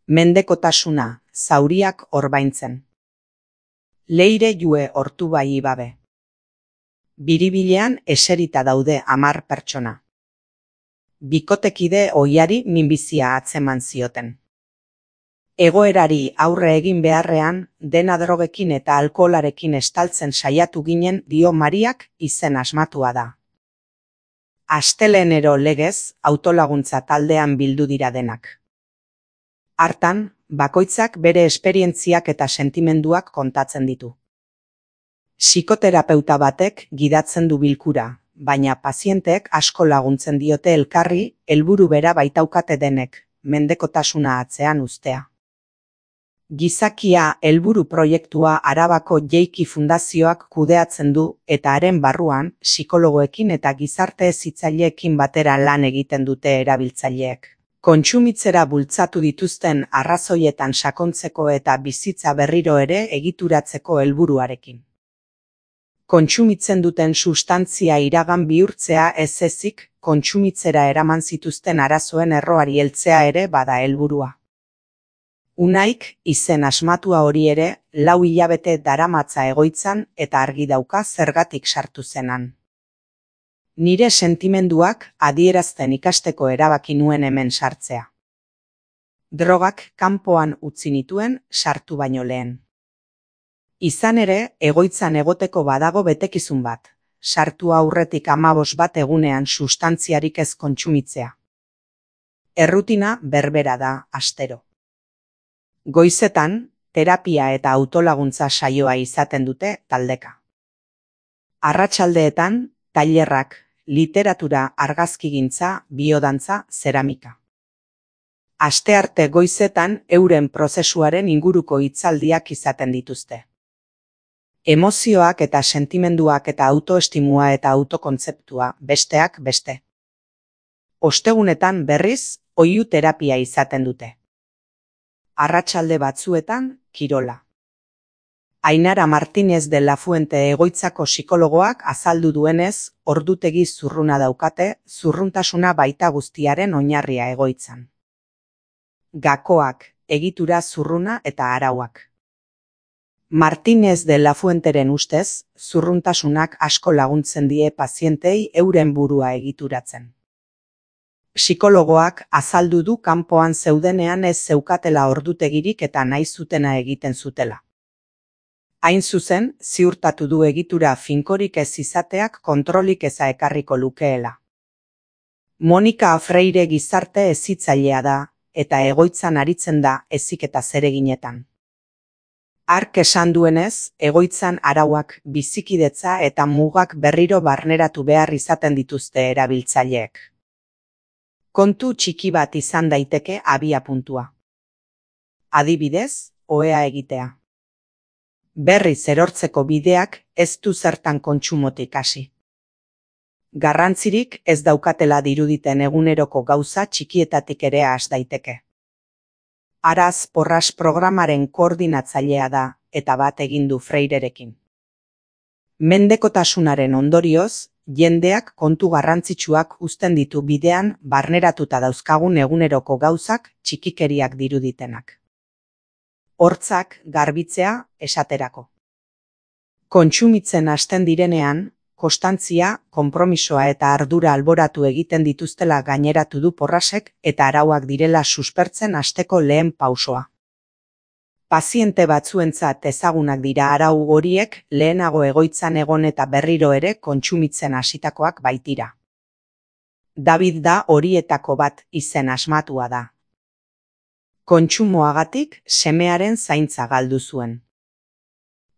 mendekotasuna, zauriak orbaintzen. Leire jue hortu bai ibabe. Biribilean eserita daude 10 pertsona. Bikotekide ohiari minbizia atzeman zioten. Egoerari aurre egin beharrean, dena drogekin eta alkoholarekin estaltzen saiatu ginen dio Mariak izen asmatua da. Astelenero legez, autolaguntza taldean bildu dira denak. Hartan, bakoitzak bere esperientziak eta sentimenduak kontatzen ditu. Psikoterapeuta batek gidatzen du bilkura, baina pazienteek asko laguntzen diote elkarri, helburu bera baitaukate denek, mendekotasuna atzean uztea. Gizakia helburu proiektua Arabako Jeiki Fundazioak kudeatzen du eta haren barruan psikologoekin eta gizarte hezitzaileekin batera lan egiten dute erabiltzaileek. Kontsumitzera bultzatu dituzten arrazoietan sakontzeko eta bizitza berriro ere egituratzeko helburuarekin. Kontsumitzen duten sustantzia iragan bihurtzea ez ezik, kontsumitzera eraman zituzten arazoen erroari heltzea ere bada helburua. Unaik, izen asmatua hori ere, 4 hilabete daramatza egoitzan eta argi dauka zergatik sartu zenan. Nire sentimenduak adierazten ikasteko erabaki nuen hemen sartzea. Drogak kanpoan utzi nituen sartu baino lehen. Izan ere, egoitzan egoteko badago betekizun bat, sartu aurretik 15 egunean sustantziarik ez kontsumitzea. Errutina berbera da, astero. Goizetan, terapia eta autolaguntza saioa izaten dute taldeka. Arratsaldeetan, tailerrak, literatura, argazkigintza, biodantza, zeramika. Astearte goizetan euren prozesuaren inguruko hitzaldiak izaten dituzte. Emozioak eta sentimenduak eta autoestimua eta autokontzeptua, besteak beste. Ostegunetan berriz, oihu terapia izaten dute. Arratsalde batzuetan, kirola. Ainara Martínez de la Fuente egoitzako psikologoak azaldu duenez, ordutegi zurruna daukate, zurruntasuna baita guztiaren oinarria egoitzan. Gakoak, egitura zurruna eta arauak. Martínez de la Fuenteren ustez, zurruntasunak asko laguntzen die pazientei euren burua egituratzen. Psikologoak azaldu du kanpoan zeudenean ez zeukatela ordutegirik eta nahi zutena egiten zutela. Hain zuzen, ziurtatu du egitura finkorik ez izateak kontrolik eza ekarriko lukeela. Monika Freire gizarte hezitzailea da, eta egoitzan aritzen da heziketa zereginetan. Hark esan duenez, egoitzan arauak, bizikidetza eta mugak berriro barneratu behar izaten dituzte erabiltzaileek. Kontu txiki bat izan daiteke abiapuntua. Adibidez, ohea egitea. Berriz erortzeko bideak ez du zertan kontsumotik hasi. Garrantzirik ez daukatela diruditen eguneroko gauza txikietatik ere has daiteke. Araz Porras programaren koordinatzailea da eta bat egin du Freirerekin. Mendekotasunaren ondorioz, jendeak kontu garrantzitsuak uzten ditu bidean barneratuta dauzkagun eguneroko gauzak txikikeriak diruditenak. Hortzak garbitzea esaterako. Kontsumitzen hasten direnean, konstantzia, konpromisoa eta ardura alboratu egiten dituztela gaineratu du Porrasek eta arauak direla suspertzen hasteko lehen pausoa. Paziente batzuentzat ezagunak dira arau horiek lehenago egoitzan egon eta berriro ere kontsumitzen hasitakoak baitira. David da horietako bat izen asmatua da. Kontsumoagatik semearen zaintza galdu zuen.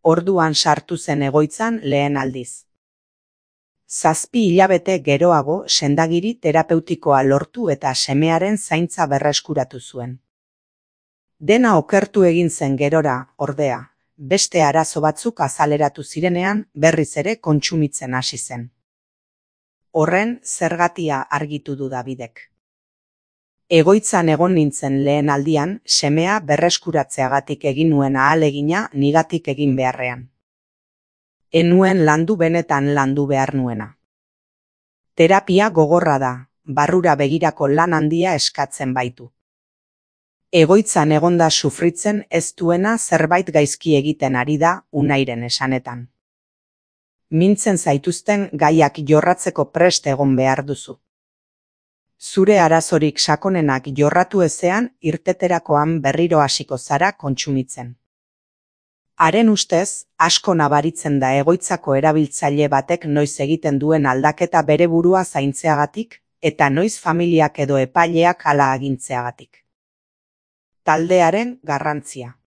Orduan sartu zen egoitzan lehen aldiz. 7 hilabete geroago sendagiri terapeutikoa lortu eta semearen zaintza berreskuratu zuen. Dena okertu egin zen gerora, ordea, beste arazo batzuk azaleratu zirenean berriz ere kontsumitzen hasi zen. Horren zergatia argitu du Davidek. Egoitzan egon nintzen lehen aldian, semea berreskuratzeagatik egin nuen ahalegina nigatik egin beharrean. Enuen landu benetan landu behar nuena. Terapia gogorra da, barrura begirako lan handia eskatzen baitu. Egoitzan egonda sufritzen ez duena zerbait gaizki egiten ari da, Unairen esanetan. Mintzen zaituzten gaiak jorratzeko prest egon behar duzu. Zure arazorik sakonenak jorratu ezean, irteterakoan berriro hasiko zara kontsumitzen. Haren ustez, asko nabaritzen da egoitzako erabiltzaile batek noiz egiten duen aldaketa bere burua zaintzeagatik, eta noiz familiak edo epaileak hala agintzeagatik. Taldearen garrantzia.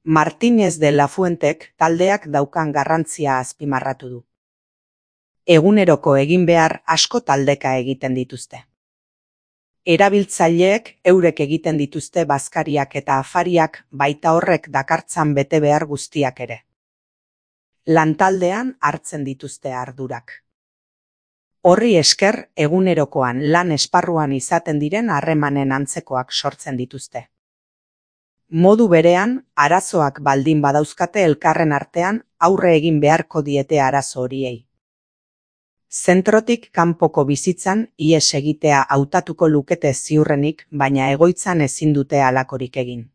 Martínez de la Fuentek taldeak daukan garrantzia azpimarratu du. Eguneroko egin behar asko taldeka egiten dituzte. Erabiltzaileek eurek egiten dituzte bazkariak eta afariak, baita horrek dakartzan bete behar guztiak ere. Lantaldean hartzen dituzte ardurak. Horri esker, egunerokoan lan esparruan izaten diren harremanen antzekoak sortzen dituzte. Modu berean, arazoak baldin badauzkate elkarren artean, aurre egin beharko diete arazo horiei. Zentrotik kanpoko bizitzan ihes egitea hautatuko lukete ziurrenik, baina egoitzan ezin dute halakorik egin.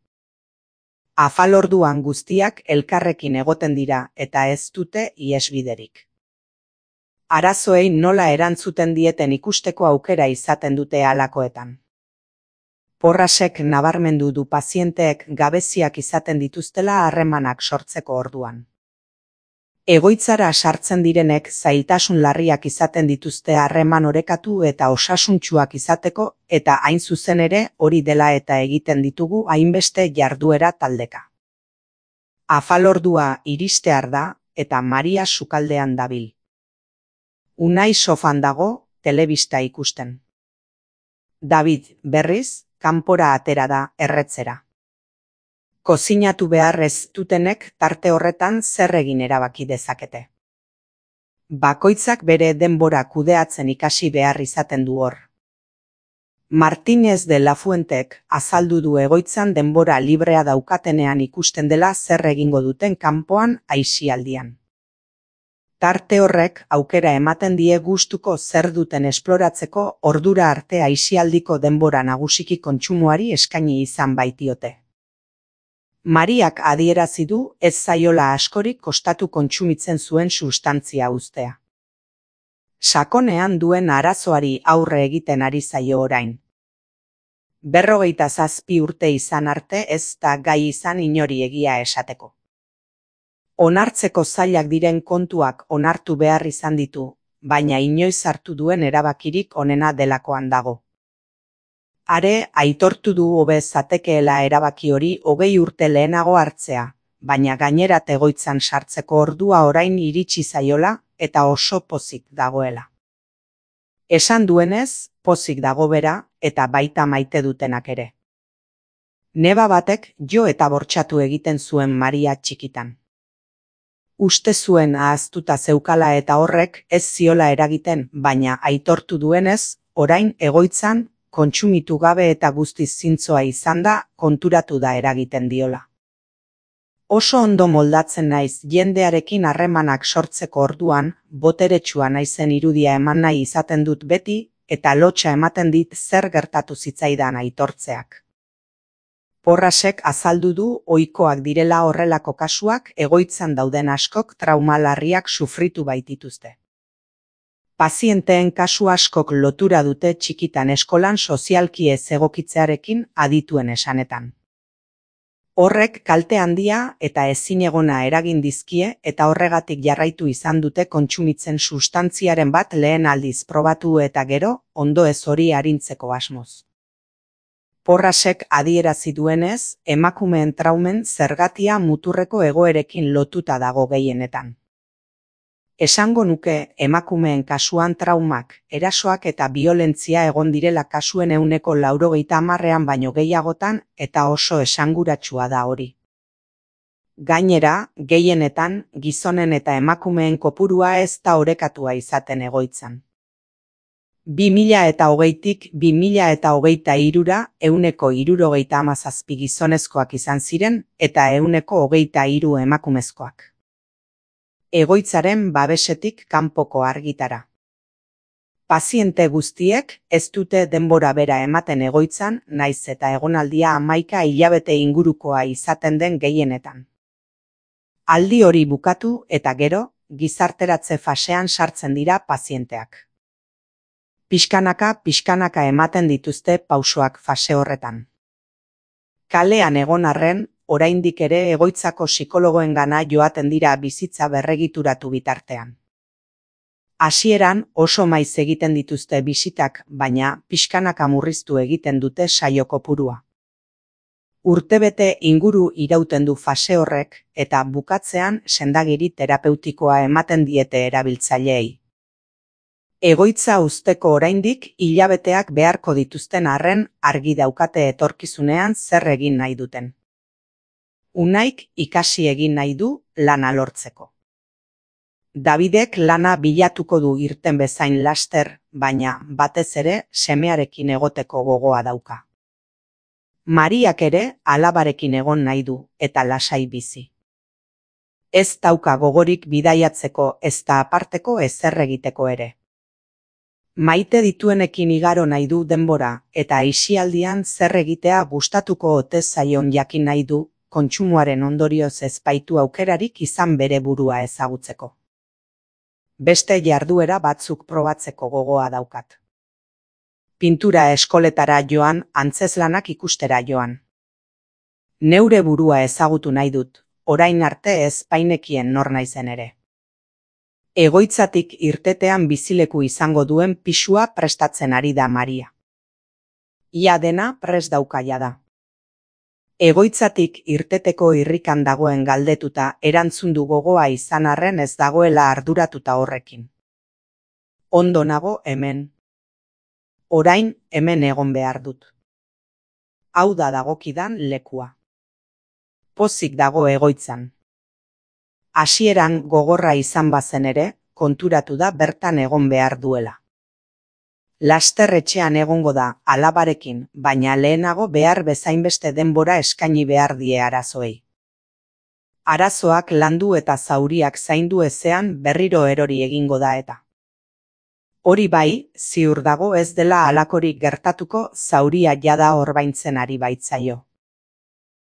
Afalorduan guztiak elkarrekin egoten dira eta ez dute ihesbiderik. Arazoei nola erantzuten dieten ikusteko aukera izaten dute halakoetan. Porrasek nabarmendu du pazienteek gabeziak izaten dituztela harremanak sortzeko orduan. Egoitzara sartzen direnek zailtasun larriak izaten dituzte harreman orekatu eta osasuntsuak izateko, eta hain zuzen ere hori dela eta egiten ditugu hainbeste jarduera taldeka. Afalordua iristear da eta Maria sukaldean dabil. Unai sofan dago, telebista ikusten. David, berriz, kanpora atera da erretzera. Kozinatu behar ez dutenek tarte horretan zer egin erabaki dezakete. Bakoitzak bere denbora kudeatzen ikasi behar izaten du hor. Martínez de la Fuentek azaldu du egoitzan denbora librea daukatenean ikusten dela zer egingo duten kanpoan aisialdian. Tarte horrek aukera ematen die gustuko zer duten esploratzeko ordura arte aisialdiko denbora nagusiki kontsumoari eskaini izan baitiote. Mariak adierazi du ez zaiola askorik kostatu kontsumitzen zuen sustantzia uztea. Sakonean duen arazoari aurre egiten ari zaio orain. 57 urte izan arte ez da gai izan inori egia esateko. Onartzeko zailak diren kontuak onartu behar izan ditu, baina inoiz hartu duen erabakirik onena delakoan dago. Are, aitortu du hobe zatekeela erabaki hori 20 urte lehenago hartzea, baina gainerat egoitzan sartzeko ordua orain iritsi zaiola eta oso pozik dagoela. Esan duenez, pozik dago bera eta baita maite dutenak ere. Neba batek jo eta bortxatu egiten zuen Maria txikitan. Uste zuen ahaztuta zeukala eta horrek ez ziola eragiten, baina aitortu duenez, orain egoitzan, kontsumitu gabe eta guztiz zintzoa izan da, konturatu da eragiten diola. Oso ondo moldatzen naiz jendearekin harremanak sortzeko orduan, boteretsua naizen irudia eman nahi izaten dut beti, eta lotsa ematen dit zer gertatu zitzaidan aitortzeak. Porrasek azaldu du ohikoak direla horrelako kasuak egoitzan dauden askok trauma larriak sufritu baitituzte. Pazienteen kasu askok lotura dute txikitan eskolan sozialki ez egokitzearekin adituen esanetan. Horrek kalte handia eta ezinegona eragin dizkie eta horregatik jarraitu izan dute kontsumitzen sustantziaren bat lehen aldiz probatu eta gero, ondo ez hori arintzeko asmoz. Porrasek adierazi duenez, emakumeen traumen zergatia muturreko egoerekin lotuta dago gehienetan. Esango nuke emakumeen kasuan traumak, erasoak eta biolentzia egon direla kasuen 90% baino gehiagotan eta oso esanguratsua da hori. Gainera, gehienetan, gizonen eta emakumeen kopurua ez da orekatua izaten egoitzan. 2020tik 2023ra 167 gizonezkoak izan ziren eta 123 emakumezkoak. Egoitzaren babesetik kanpoko argitara. Paziente guztiek ez dute denbora bera ematen egoitzan, naiz eta egonaldia 11 hilabete ingurukoa izaten den gehienetan. Aldi hori bukatu eta gero, gizarteratze fasean sartzen dira pazienteak. Pixkanaka ematen dituzte pausoak fase horretan. Kalean egon arren, oraindik ere egoitzako psikologoengana joaten dira bizitza berregituratu bitartean. Hasieran oso maiz egiten dituzte bisitak, baina pixkanaka murriztu egiten dute saio kopurua. Urtebete inguru irauten du fase horrek eta bukatzean sendagiri terapeutikoa ematen diete erabiltzaileei. Egoitza uzteko oraindik hilabeteak beharko dituzten arren argi daukate etorkizunean zer egin nahi duten. Unaik ikasi egin nahi du lana lortzeko. Davidek lana bilatuko du irten bezain laster, baina batez ere semearekin egoteko gogoa dauka. Mariak ere alabarekin egon nahi du eta lasai bizi. Ez dauka gogorik bidaiatzeko ezta aparteko ezer egiteko ere. Maite dituenekin igaro nahi du denbora eta aisialdian zer egitea gustatuko ote zaion jakin nahi du, kontsumoaren ondorioz ez baitu aukerarik izan bere burua ezagutzeko. Beste jarduera batzuk probatzeko gogoa daukat. Pintura eskoletara joan, antzeslanak ikustera joan. Neure burua ezagutu nahi dut, orain arte ez bainekien nor naizen ere. Egoitzatik irtetean bizileku izango duen pisua prestatzen ari da Maria. Ia dena prest dauka jada. Egoitzatik irteteko irrikan dagoen galdetuta erantzun du gogoa izan arren ez dagoela arduratuta horrekin. Ondo nago hemen. Orain hemen egon behar dut. Hau da dagokidan lekua. Pozik dago egoitzan. Hasieran gogorra izan bazen ere, konturatu da bertan egon behar duela. Laster etxean egongo da alabarekin, baina lehenago behar bezainbeste denbora eskaini behar die arazoei. Arazoak landu eta zauriak zaindu ezean berriro erori egingo da eta. Hori bai, ziur dago ez dela halakorik gertatuko zauria jada orbaintzen ari baitzaio.